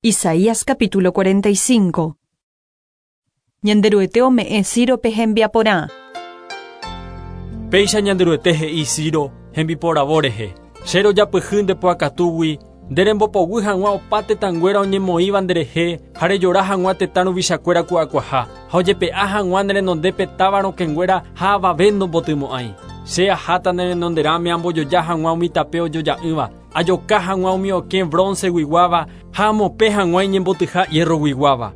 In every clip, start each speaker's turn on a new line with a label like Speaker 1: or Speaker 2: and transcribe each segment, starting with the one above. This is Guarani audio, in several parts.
Speaker 1: Isaías capítulo 45. Ñanderuete ome'ẽ Círope hembiaporã.
Speaker 2: Péicha Ñanderuete he'i Ciro hembiporavo rehe, Che rojapyhy nde po akatúgui, nde rembopoguy hag̃ua opa tetãnguéra oñemoĩva nderehe ha rejora hag̃ua tetã ruvichakuéra ku'akuaha, ha ojepe'a hag̃ua ne renondépe táva rokẽnguéra ha avave ndombotymo'ãi. Che aháta ne renonderãme ambojoja hag̃ua umi tape ojoja'ỹva, Ajoka hag̃ua umi okẽ bronce-guiguáva ha amopẽ hag̃ua iñembotyha hierro-guiguáva.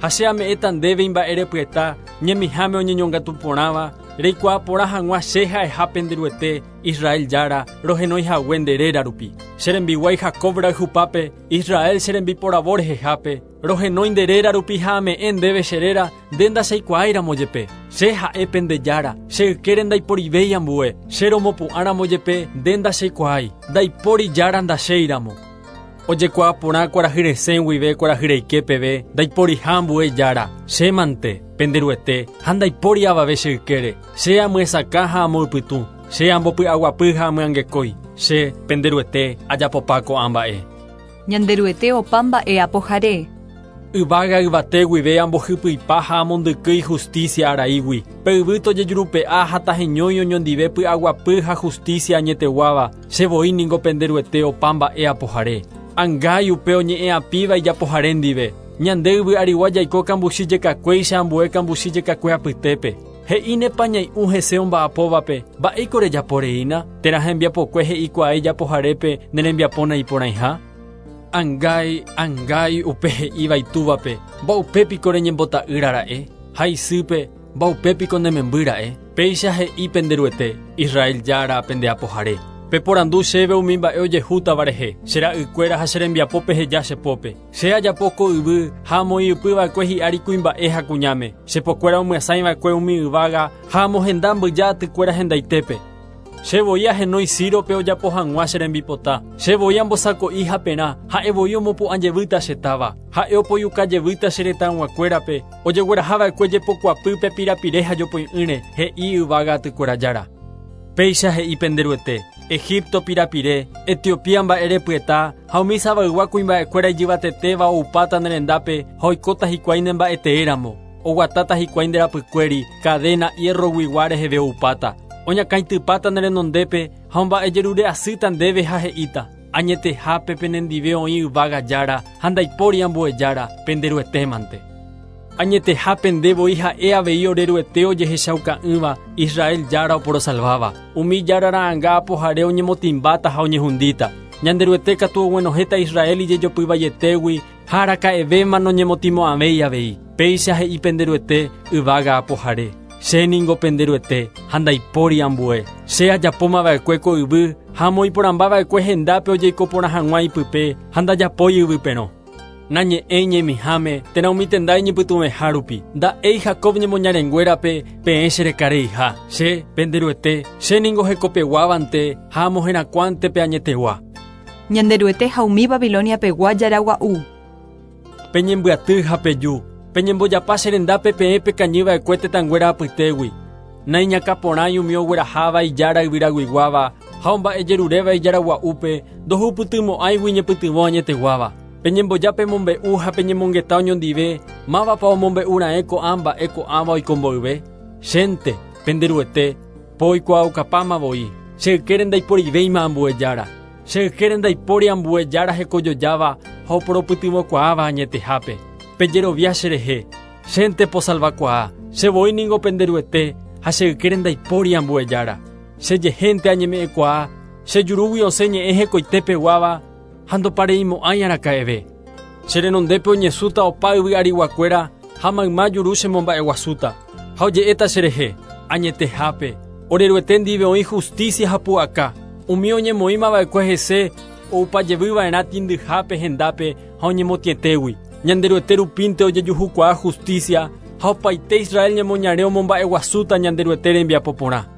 Speaker 2: Ha che ame'ẽta ndéve imba'erepyeta ñemiháme oñeñongatu porãva, reikuaa porã hag̃ua che ha'eha pende Ruete, Israel Jára, rohenói hague nde réra rupi. Che rembiguái Jacob rayhupápe, Israel che rembiporavo rehehápe, Rohenói nde réra rupi ha ame'ẽ ndéve che réra, nde ndacheikuaái ramo jepe. Che ha'e pende Jára, che ykére ndaiporivéi ambue, che romopu'ã ramo jepe nde ndacheikuaái, ndaipóri Jára ndachéi ramo. Ojekuaa porã kuarahy resẽ guive kuarahy reike peve ndaiporiha ambue Jára, che mante, pende Ruete, ha ndaipóri avave che ykére. Che amyesakã ha amoypytũ, che ambopy'aguapy ha amyangekói, che, pende Ruete, ajapopa ko'ã mba'e.
Speaker 1: Ñanderuete opa mba'e apohare.
Speaker 2: Yvága yvate guive ambohypyipa ha amondykýi hustísia araígui. Pe yvy tojejurupe'a ha taheñói oñondive py'aguapy ha hustísia añeteguáva, che voi ningo pende Ruete opa mba'e apohare. Angái upe oñe'ẽ'apíva ijapohare ndive. Ñande yvy arigua jaiko kambuchi jekakuéicha ambue kambuchi jekakue apytépe. He'ínepa ñai'ũ hese omba'apóvape, Mba'éiko rejapo reína? Térã hembiapokue he'ikuaa ijapoharépe ne rembiapo naiporãiha? Angái, angái upe he'íva itúvape, Mba'upe piko reñembota'ýra ra'e? Ha isýpe, Mba'upe piko ne memby ra'e? Péicha he'i pende Ruete, Israel Jára, pende Apohare. Peporandu chéve umi mba'e ojehútava rehe, che ra'ykuéra ha che rembiapo peheja che pópe. Che ajapo ko yvy ha amoĩ ypy va'ekue hi'ári kuimba'e ha kuñáme. Che pokuéra omyasãi va'ekue umi yvága ha amohenda mbyja atykuéra hendaitépe. Che voi ahenói Círope ojapo hag̃ua che rembipota. Che voi ambosako'i haperã, ha'e voi omopu'ã jevýta che táva. Ha'e opoiuka jevýta che retãyguakuérape, ojegueraha va'ekue jepokuapýpe pirapire ha jopoi'ỹre, he'i yvága atykuéra Jára. Péicha he'i pende Ruete, Egipto pirapire, Etiopía mba'erepyeta ha umi Sabaygua kuimba'ekuéra ijyvatetéva oupáta ne rendápe ha oikóta hikuái ne mba'etee ramo, oguatáta hikuái nde rapykuéri, kadéna hierroguigua reheve oupáta. Oñakãitypáta ne renondépe ha omba'ejerure asýta ndéve ha he'íta, Añetehápe penendive oĩ yvága Jára ha ndaipóri ambue Jára, pende Ruetémante. Añetehápe nde voi ha'e avei ore Ruete ojehechauka'ỹva, Israel Jára oporosalváva. Umi Jára ra'ãnga apohare oñemotĩmbáta ha oñehundíta. Ñanderuete katu oguenohẽta Israel ijejopy vaietégui ha araka'evéma noñemotĩmo'ãvéi avei. Péicha he'i pende Ruete, yvága apohare. Che ningo pende Ruete, ha ndaipóri ambue. Che ajapóma va'ekue ko yvy ha amoĩ porãmba va'ekue hendápe ojeiko porã hag̃ua ipype ha ndajapói yvy perõ. Nañe'ẽi ñemiháme térã umi tenda iñypytũveha rupi. Nda'éi Jacob ñemoñarenguérape peẽ che rekareiha. Che, pende Ruete, che ningo hekopeguávante ha amoherakuãnte pe añetegua.
Speaker 1: Ñanderuete ha umi Babilonia pegua jára gua'u.
Speaker 2: Peñembyaty ha peju, peñembojapa che rendápe peẽ pekañy va'ekue tetãnguéra apytégui. Naiñakã porãi umi ogueraháva ijára yvyraguiguáva ha omba'ejeruréva ijára gua'úpe ndohupytymo'ãigui ñepytyvõ añeteguáva. Peñemboja pemombe'u ha peñemongeta oñondive mávapa omombe'u raẽ ko'ã mba'e ko'ãva oiko mboyve. Chénte, pende Ruete, po oikuaaukapáma voi, che ykére ndaiporivéima ambue jára. Che ykére ndaipóri ambue jára hekojojáva ha oporopytyvõkuaáva añetehápe. Pejerovia cherehe, chénte posalvakuaa, che voi ningo pende Ruete ha che ykére ndaipóri ambue jára. Chejehénte añeme'ẽkuaa, che jurúgui osẽ ñe'ẽ hekoite peguáva ha ndopareimo'ãi araka'eve. Che renondépe oñesũta opa yvy ariguakuéra ha mayma juru chemomba'eguasúta. Ha oje'éta cherehe, Añetehápe, ore Ruete ndive oĩ justícia ha pu'aka, umi oñemoĩmava'ekue hese oupa jevyva'erã tĩndyhápe hendápe ha oñemotĩetégui. Ñanderuete rupínte ojejuhukuaa justícia ha opaite Israel ñemoñare omomba'eguasúta Ñanderuete rembiapo porã.